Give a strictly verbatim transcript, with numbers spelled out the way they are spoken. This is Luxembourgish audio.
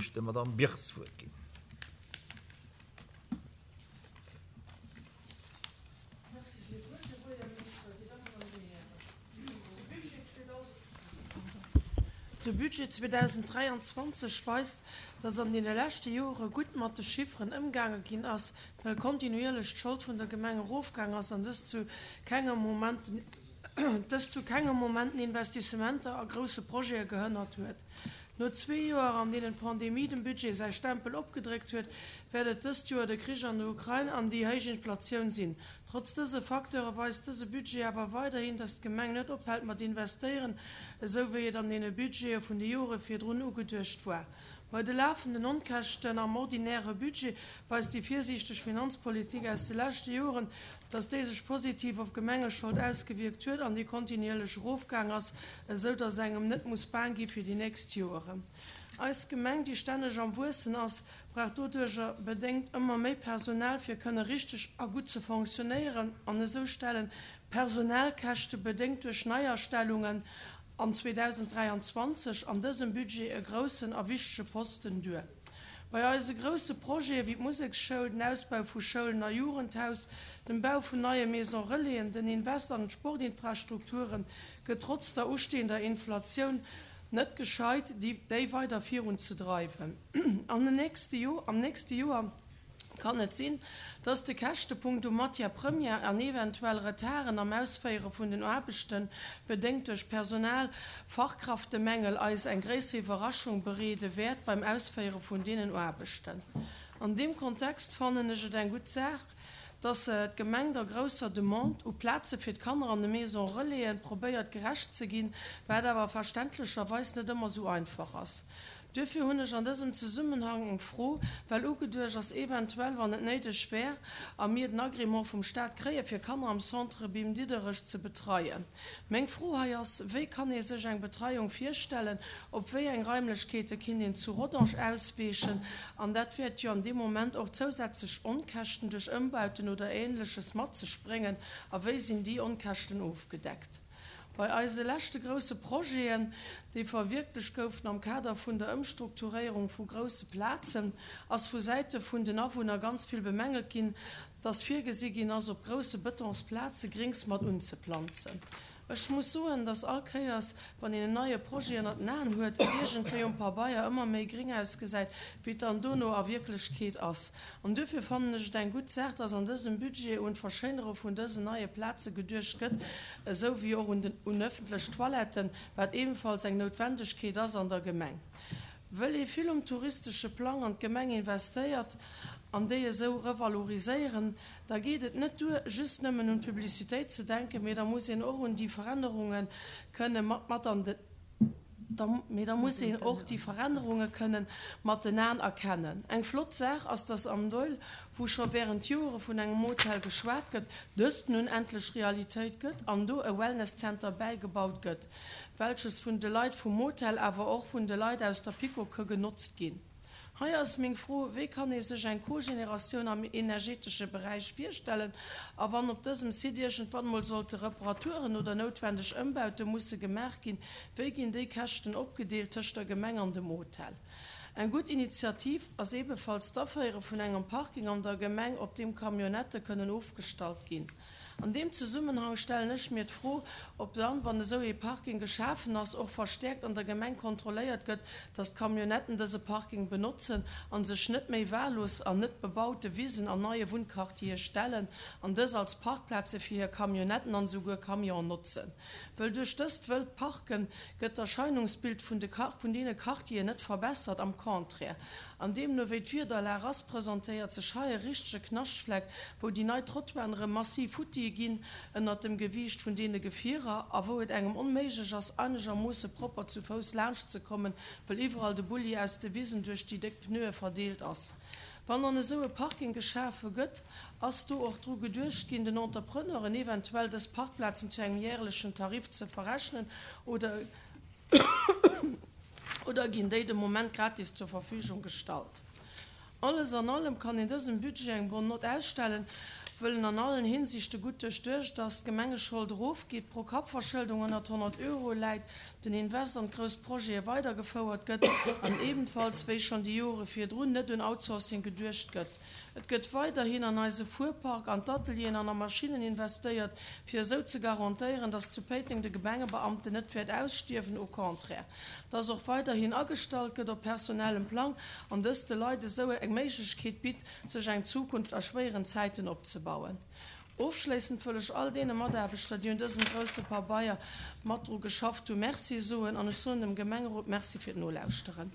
ech der Madamm Birth d'Wuert ginn. Merci fir d'Wuert, Här Buergermeeschter, Dir Dammen an Dir Hären. De Budget zweedausenddräianzwanzeg weist, dass an deene leschte Jore gutt mat de Chifferen ëmgaange ginn ass, well kontinuierlech d'Schold vun der Gemeng erofgaang ass an dës zu kengem Moment dës zu kengem Moment den Investissementer a grousse Projete gehënnert huet. No zwee Joer, an deenen d'Pandemie dem Budget säi Stempel opgedréckt huet, wäert et dëst Joer de Krich an der Ukrain an déi héich Inflatioun sinn. Trotz dëse Facteure weist dëse Budget awer weiderhin, dass d'Gemeng net ophält mat investéieren, esou wéi et an deene Budgete vun de Jore virdrun ugeduecht war. Bei de lafenden Onkäschten am ordinäre Budget weist déi virsiichteg Finanzpolitik aus de leschte Joren, dass déi sech positiv op d'Gemengeschold ausgewierkt huet an déi kontinuierlech erofgaang ass, esou dass engem net muss baang gi fir déi nächst Joren. Eis Gemeng, déi stänneg am Wuessen ass, brauch doduercher bedéngt ëmmer méi Personal, fir kënne richteg a gutt ze fonctionnéieren, an esou stellen d'Personalkäschte bedéngt duerch Neiastellungen an zweedausenddräianzwanzeg an dësem Budget e groussen a wichtege Posten duer. Bei eise grousse Projete wéi d'Museksschoul, den Ausbau vu Schoulen a Jugendhaus, dem Bau vun neie Maison-relaisen, den Invest an d'Sportinfrastrukture gëtt trotz der ustehender Inflatioun net gescheit, déi weider virunzedreiwen. An den nächste Jo am nächste Joer kann et sinn, dass de Käschtepunkt u Matière première an eventuell Retarden am Ausféiere vun den Aarbechten, bedéngt duerch Personal-Fachkraftemängel, eis eng gréisser Iwwerraschung bereede wäert beim Ausféiere vun deenen Aarbechten. An deem Kontext fannen ech et eng gutt Saach, dass d'Gemeng der grousser Demande u Plaze fir d'Kanner an de Maison-relaisen probéiert gerecht ze ginn, wat awer verständlecherweis net ëmmer sou einfach ass. Duerfir hunn ech an dësem Zesummenhang eng Fro, well ugeduecht ass, eventuell, wann et néideg wär a mir den Agrément vum Staat kréien, fir Kanner am Centre Bim Diderich ze betreien. Meng Fro hei ass, wéi kann ee sech eng Betreiung virstellen, op wéi eng Raimlechkeete kinnt een zu Rodange ausweechen, an dat wäert jo an deem Moment och zousätzlech Onkäschten duerch Ëmbauten oder Ähnleches mat sech bréngen, a wéi sinn déi Onkäschten ofgedeckt? Bei eise leschte grousse Projeten, déi verwierklecht goufen am Kader vun der Ëmstrukturéierung vu grousse Plazen, ass vu Säite vun den Awunner ganz vill bemängelt ginn, dass virgesi ginn ass, op grousse Betonsplaze Grings mat unzeplanzen. Ech muss soen, dass all Kéiers, wann een en neie Projet ënnert den Aen huet, et iergendwéi um Pabeier ëmmer méi gring ausgesäit, wéi et dann dono a Wierklechkeet ass. An duerfir fannen ech et eng gutt Saach, dass an dësem Budget un d'Verschéinere vun dësen neie Plaze geduecht gëtt, esou wéi och un den un ëffentlech Toiletten, wat ebenfalls eng Noutwendegkeet ass an der Gemeng. Wëll ee vill um touristesche Plang an d'Gemeng investéiert an déi esou revaloriséieren, da geet et net duer, just nëmmen un d'Publicitéit ze denken, mee da muss een och un déi Verännerunge kënne mat mat an de da mee da muss een och déi Verännerunge kënne mat den Aen erkennen. Eng flott Saach ass, dass am Doihl, wou scho während Jore vun engem Hotel geschwat gëtt, dëst nun endlech Realitéit gëtt an do e Wellness-Center bäigebaut gëtt, welches vun de Leit vum Motel, awer och vun de Leit aus der PiKo genotzt ginn. Hei ass meng Fro, wéi kann ee sech eng Kogeneratioun am energetesche Beräich virstellen, a wann op dësem Site iergendwann mol sollte Reparaturen oder noutwendeg Ëmbaute musse gemaach ginn, wéi ginn déi Käschten opgedeelt tëscht der Gemeng an dem Hotel? Eng gutt Initiativ ass ebenfalls d'Aféiere vun engem Parking an der Gemeng, op deem Camionnettë kënnen ofgestallt ginn. An deem Zesummenhang stellen ech mir d'Fro, ob dann, wann esou ee Parking geschafen ass, och verstäerkt an der Gemeng kontrolléiert gëtt, dass d'Camionnetten dëse Parking benotzen a sech net méi wahllos an net bebaute Wisen an neie Wunnquartiere stellen an dës als Parkplaze fir hir Camionnetten an esouguer Camionen notzen. Wëll duerch dëst wëllt Parken gëtt d'Erscheinungsbild vun de vun deene Quartieren net verbessert, am Contraire. An deemno wéi d'Wiederlag ass, presentéiert sech hei e richtege Knaschtfleck, wou déi nei Trottoiren erëm massiv futti ginn ënnert dem Gewiicht vun deene Gefierer a wou et engem onméiglech ass, einegermoosse propper zu Fouss laanschtzekommen, wëll iwwerall de Bulli aus de Wisen duerch déi déck Pneue verdeelt ass. Wann dann esou e Parking geschafe gëtt, ass do och dru geduecht ginn, den Entrepreneuren eventuell dës Parkplazen zu engem järlechen Tarif ze verrechnen oder oder ginn déi de Moment gratis zur Verfügung gestallt? Alles an allem kann een dësem Budget eng bonne Note ausstellen, wëll en an allen Hinsichte gutt duerchduecht ass, d'Gemengeschold erofgeet, d'Pro-Kapp-Verschëldung ënnert honnert Euro läit, den Invest an grouss Projete weidergefouert gëtt an ebenfalls wéi schonn déi Jore virdrun net un Outsourcing geduecht gëtt. Et gëtt weiderhin an eise Fuerpark, an d'Atelieren an a Maschinnen investéiert, fir esou ze garantéieren, dass zu Péiteng de Gemengebeamten net wäert ausstierwen, au contraire. Dass och weiderhin agestallt gëtt op personellem Plang an dëst de Leit esou eng Méiglechkeet bitt, sech eng Zukunft a schwéieren Zäiten opzebauen. Ofschléissend wëll ech all deene Mataarbechter, déi un dësem grousse Pabeier mat dru geschafft hunn, Merci soen an ech soen dem Gemengerot Merci fir d'Nolauschteren.